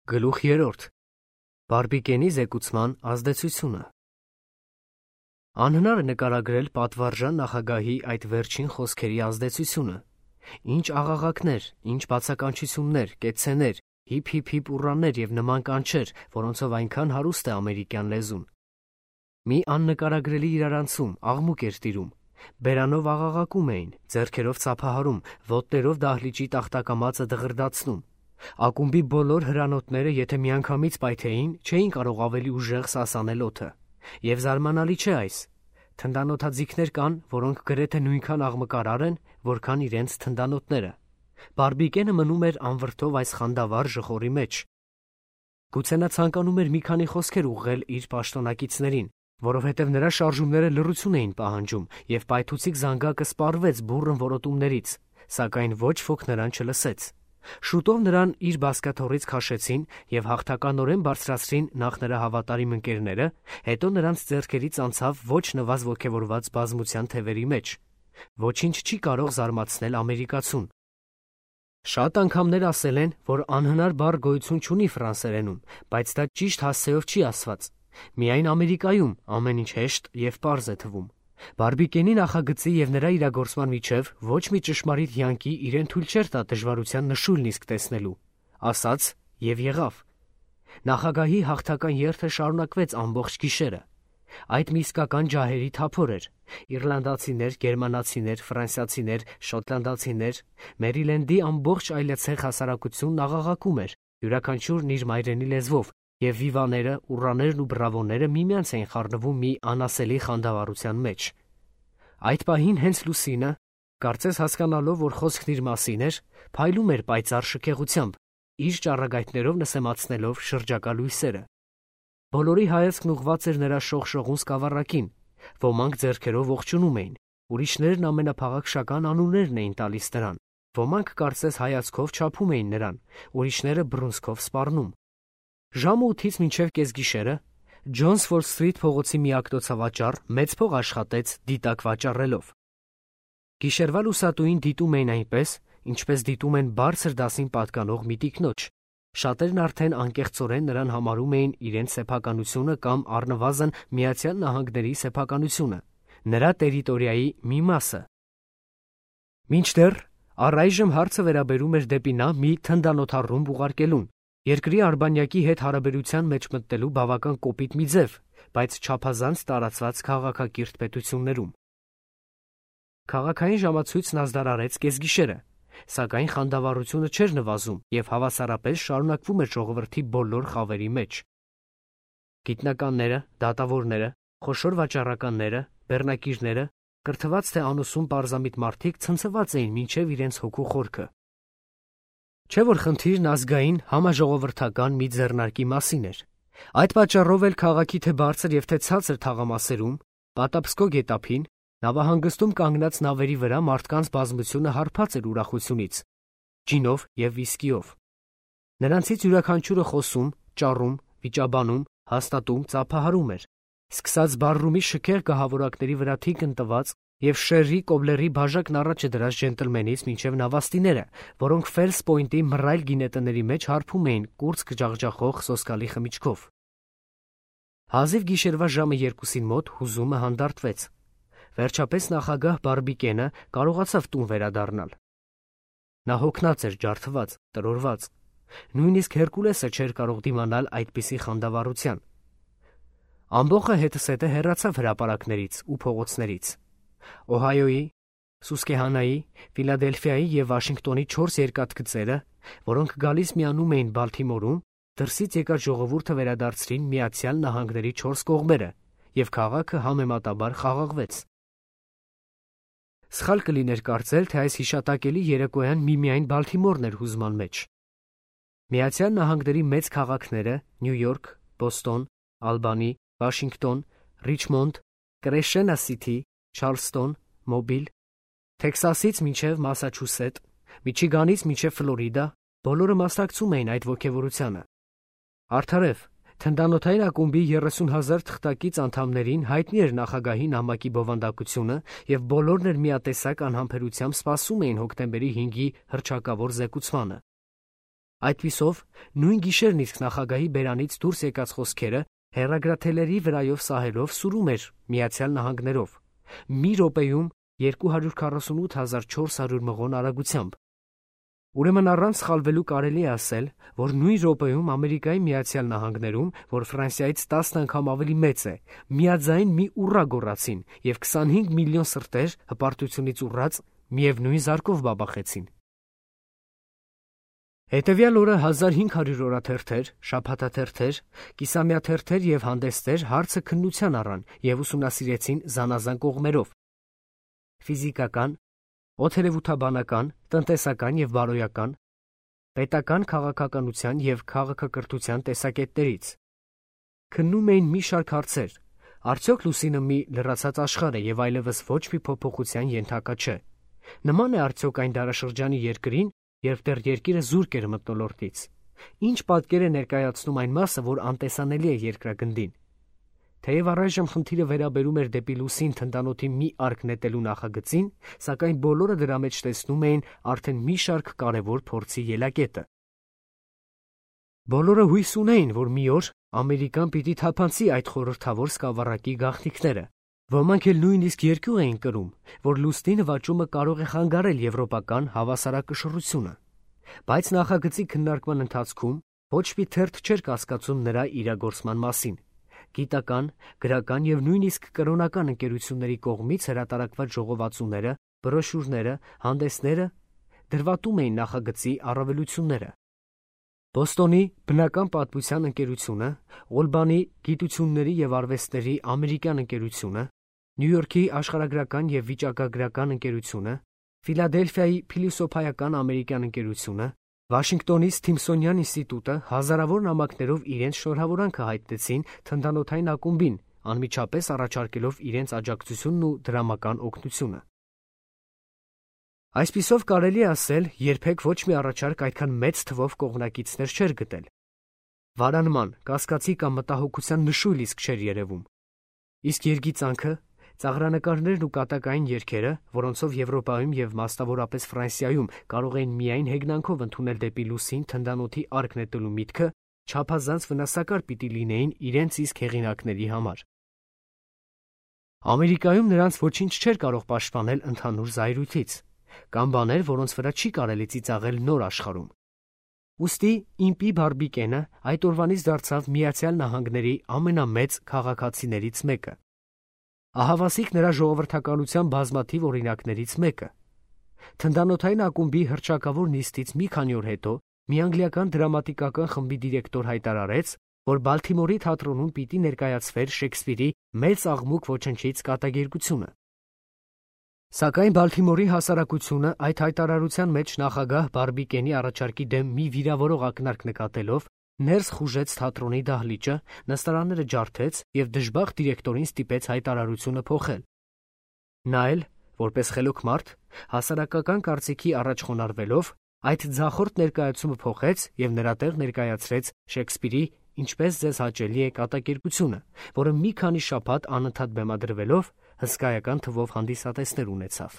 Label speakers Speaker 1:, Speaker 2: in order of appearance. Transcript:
Speaker 1: Գլուխ 3. Բարբիկենի զեկուցման ազդեցությունը։ Անհնար է նկարագրել պատվարժան նախագահի այդ վերջին խոսքերի ազդեցությունը։ Ինչ աղաղակներ, ինչ բացականչություններ, կեցցեներ, հիփ ուռաներ և նման կանչեր, որոնցով այնքան հարուստ է ամերիկյան լեզուն։ Մի աննկարագրելի իրարանցում, աղմուկ էր տիրում։ Բերանով աղաղակում էին, ձեռքերով ծափահարում, ոտներով դահլիճի տախտակամածը դղրդացնում։ Ակումբի բոլոր հրանոթները, եթե միանգամից պայթեին, չէին կարող ավելի ուժեղ սասանել օդը։ Եվ զարմանալի չէ այս։ Թնդանոթաձիգներ կան, որոնք գրեթե նույնքան աղմկարար են, որքան իրենց թնդանոթները։ Բարբիկենը մնում էր անվրդով այս խանդավառ ժխորի մեջ։ Գուցե նա ցանկանում էր մի քանի խոսքեր ուղղել իր պաշտոնակիցներին, որովհետև նրա շարժումները լռություն էին պահանջում, և պայթուցիկ զանգակը սպառվեց բուռն որոտումներից, սակայն ոչ ոք նրան չլսեց։ Շուտով նրան իր բազկաթոռից քաշեցին և հաղթականորեն բարձրացրին նախ նրա հավատարիմ ընկերները, հետո նրանց ձեռքերից անցավ ոչ նվազ ոգևորված բազմության թևերի մեջ։ Ոչինչ չի կարող զարմացնել ամերիկացուն։ Շատ անգամներ ասել են, որ անհնար բառ գոյություն չունի ֆրանսերենում, բայց դա ճիշտ հասցեով չի ասված։ Միայն Ամերիկայում ամեն ինչ հեշտ և պարզ է թվում։ Բարբիկենի նախագծի և նրա իրագործման միջև ոչ մի ճշմարիտ յանկի իրեն թույլ չէր տա դժվարության նշույլն իսկ տեսնելու։ Ասաց և եղավ։ Նախագահի հաղթական երթը շարունակվեց ամբողջ գիշերը։ Այդ մի իսկական ջահերի թափոր էր։ Իռլանդացիներ, գերմանացիներ, ֆրանսիացիներ, շոտլանդացիներ, Մերիլենդի ամբողջ այլեցեղ հասարակությունն աղաղակում էր, յուրաքանչյուրն իր մայրենի լեզվով, և վիվաները, ուռաներն ու բրավոները միմյանց էին խառնվում մի անասելի խանդավառության մեջ։ Այդ պահին հենց Լուսինը, կարծես հասկանալով, որ խոսքն իր մասին էր, փայլում էր պայծառ շքեղությամբ, իր ճառագայթներով նսեմացնելով շրջակա լույսերը։ Բոլորի հայացքն ուղղված էր նրա շողշողուն սկավառակին, ոմանք ձեռքերով ողջունում էին, ուրիշներն ամենափաղաքշական անուններն էին տալիս նրան, ոմանք կարծես հայացքով չափում էին նրան, ուրիշները բռունցքով սպառնում։ Ժամը 8-ից մինչև կեսգիշերը Ջոնսվոր Սթրիթ փողոցի մի ակտոցավաճառ մեծ փող աշխատեց դիտակ վաճառելով։ Գիշերվա լուսատուին դիտում էին այնպես, ինչպես դիտում են բարձր դասին պատկանող մի տիկնոջ։ Շատերն արդեն անկեղծորեն նրան համարում էին իրենց սեփականությունը կամ առնվազն Միացյալ Նահանգների սեփականությունը, նրա տերիտորիայի մի մասը։ Մինչդեռ առայժմ հարցը վերաբերում էր դեպի նա մի թնդանոթառումբ ուղարկելուն, երկրի արբանյակի հետ հարաբերության մեջ մտնելու բավական կոպիտ մի ձև, բայց չափազանց տարածված քաղաքակիրթ պետություններում։ Քաղաքային ժամացույցն ազդարարեց կեսգիշերը, սակայն խանդավառությունը չէր նվազում և հավասարապես շարունակվում էր ժողովրդի բոլոր խավերի մեջ։ Գիտնականները, դատավորները, խոշոր վաճառականները, բեռնակիրները, կրթված թե անուսուն պարզամիտ մարդիկ ցնցված էին մինչև իրենց հոգու խորքը։ Չէ՞ որ խնդիրն ազգային համաժողովրդական մի ձեռնարկի մասին էր։ Այդ պատճառով էլ քաղաքի թե բարձր և թե ցածր թաղամասերում, Պատապսկո գետափին, նավահանգստում կանգնած նավերի վրա մարդկանց բազմությունը հարբած էր ուրախությունից, ջինով և վիսկիով։ Նրանցից յուրաքանչյուրը խոսում, ճառում, վիճաբանում, հաստատում, ծափահարում էր, սկսած բարրումի շքեղ գահավորակների վրա թիկն տված և Շերրի Կոբլերի բաժակն առաջը դրած ջենտլմենից մինչև նավաստիները, որոնք Ֆելս Պոյնտի մռայլ գինետների մեջ հարբում էին կուրծք ջախջախող սոսկալի խմիչքով։ Հազիվ գիշերվա ժամը 2-ին մոտ հուզումը հանդարտվեց։ Վերջապես նախագահ Բարբիկենը կարողացավ տուն վերադառնալ։ Նա հոգնած էր, ջարդված, տրորված։ Նույնիսկ Հերկուլեսը չէր կարող դիմանալ այդպիսի խանդավառության։ Ամբոխը հետզհետե հեռացավ հրապարակներից ու փողոցներից։ Օհայոյի, Սուսկեհանայի, Ֆիլադելֆիայի և Վաշինգտոնի 4 երկաթգծերը, որոնք գալիս միանում էին Բալթիմորում, դրսից եկած ժողովուրդը վերադարձրին Միացյալ Նահանգների 4 կողմերը, և քաղաքը համեմատաբար խաղաղվեց։ Սխալ կլիներ կարծել, թե այս հիշատակելի երեկոյան միմիայն Բալթիմորն էր հուզման մեջ։ Միացյալ Նահանգների մեծ քաղաքները՝ Նյու Յորք, Բոստոն, Ալբանի, Վաշինգտոն, Ռիչմոնդ, Կրեշենա Սիթի, Չարլստոն, Մոբիլ, Թեքսասից մինչև Մասաչուսետ, Միչիգանից մինչև Ֆլորիդա, բոլորը մասնակցում էին այդ ոգևորությանը։ Արդարև, թնդանոթային ակումբի 30,000 թղթակից անդամներին հայտնի էր նախագահի նամակի բովանդակությունը, և բոլորն էլ միատեսակ անհամբերությամբ սպասում էին հոկտեմբերի 5-ի հռչակավոր զեկուցմանը։ Այդպիսով, նույն գիշերն իսկ նախագահի բերանից դուրս եկած խոսքերը հեռագրաթելերի վրայով սահելով սուրում էր Միացյալ Նահանգներով, մի րոպեում 248,400 մղոն արագությամբ։ Ուրեմն առանց սխալվելու կարելի է ասել, որ նույն րոպեում Ամերիկայի Միացյալ Նահանգներում, որ Ֆրանսիայից 10 անգամ ավելի մեծ է, միաձայն մի ուռա գոռացին և 25 միլիոն սրտեր հպարտությունից ուռած միևնույն զարկով բաբախեցին։ Հետևյալ օրը 1500 օրաթերթեր, շաբաթաթերթեր, կիսամյաթերթեր և հանդեսներ հարցը քննության առան և ուսումնասիրեցին զանազան կողմերով. ֆիզիկական, օդերևութաբանական, տնտեսական և բարոյական, պետական քաղաքականության և քաղաքակրթության տեսակետներից։ Քննում էին մի շարք հարցեր. արդյոք լուսինը մի լրացած աշխարհ է և այլևս ոչ մի փոփոխության ենթակա չէ։ Նման է արդյոք այն դարաշրջանի երկրին, երբ դեռ երկիրը զուրկ էր մթնոլորտից։ Ինչ պատկեր է ներկայացնում այն մասը, որ անտեսանելի է երկրագնդին։ Թեև առայժմ խնդիրը վերաբերում էր դեպի լուսին թնդանոթի մի արկ նետելու նախագծին, սակայն բոլորը դրա մեջ տեսնում էին արդեն մի շարք կարևոր փորձի ելակետը։ Բոլորը հույս ունեին, որ մի օր Ամերիկան պիտի թափանցի այդ խորհրդավոր սկավառակի գաղտնիքները։ Ոմանք էլ նույնիսկ երկյուղ էին կրում, որ լուսնի նվաճումը կարող է խանգարել եվրոպական հավասարակշռությունը։ Բայց նախագծի քննարկման ընթացքում ոչ մի թերթ չէր կասկածում նրա իրագործման մասին։ Գիտական, գրական և նույնիսկ կրոնական ընկերությունների կողմից հրատարակված ժողովածուները, բրոշյուրները, հանդեսները դրվատում էին նախագծի առավելությունները։ Բոստոնի բնական պատմության ընկերությունը, Օլբանի գիտությունների և արվեստների ամերիկյան ընկերությունը, Նյու Յորքի աշխարհագրական և վիճակագրական ընկերությունը, Ֆիլադելֆիայի փիլիսոփայական ամերիկյան ընկերությունը, Վաշինգտոնի Սթիմսոնյան ինստիտուտը հազարավոր նամակներով իրենց շնորհավորանքը հայտնեցին թնդանոթային ակումբին, անմիջապես առաջարկելով իրենց աջակցությունն ու դրամական օգնությունը։ Այսպիսով կարելի է ասել, երբեք ոչ մի առաջարկ այդքան մեծ թվով կողմնակիցներ չէր գտել։ Վարանման, կասկածի կամ մտահոգության նշույլ իսկ չէր երևում։ Իսկ երգիծանքը, ծաղրանկարներն ու կատակային երգերը, որոնցով Եվրոպայում և մասնավորապես Ֆրանսիայում կարող էին միայն հեգնանքով ընդունել դեպի լուսին թնդանոթի արկ նետելու միտքը, չափազանց վնասակար պիտի լինեին իրենց իսկ հեղինակների համար։ Ամերիկայում նրանց ոչինչ չէր կարող պաշտպանել ընդհանուր զայրույթից, կամ բաներ, որոնց վրա չի կարելի ծիծաղել նոր աշխարհում։ Ուստի իմպի Բարբիկենը այդ օրվանից դարձավ Միացյալ Նահանգների ամենամեծ քաղաքացիներից մեկը։ Ահավասիկ նրա ժողովրդականության բազմաթիվ օրինակներից մեկը։ Թնդանոթային ակումբի հռչակավոր նիստից մի քանի օր հետո մի անգլիական դրամատիկական խմբի դիրեկտոր հայտարարեց, որ Բալթիմորի թատրոնում պիտի ներկայացվեր Շեքսպիրի «Մեծ աղմուկ ոչնչից» կատակերգությունը։ Սակայն Բալթիմորի հասարակությունը այդ հայտարարության մեջ նախագահ Բարբիկենի առաջարկի դեմ մի վիրավորող ակնարկ նկատելով ներս խուժեց թատրոնի դահլիճը, նստարանները ջարդեց և դժբախտ դիրեկտորին ստիպեց հայտարարությունը փոխել։ Նա էլ, որպես խելոք մարդ, հասարակական կարծիքի առաջ խոնարհվելով, այդ ձախորդ ներկայացումը փոխեց և նրա տեղ ներկայացրեց Շեքսպիրի «Ինչպես ձեզ հաճելի է» կատակերգությունը, որը մի քանի շաբաթ անընդհատ բեմադրվելով հսկայական թվով հանդիսատեսներ ունեցավ։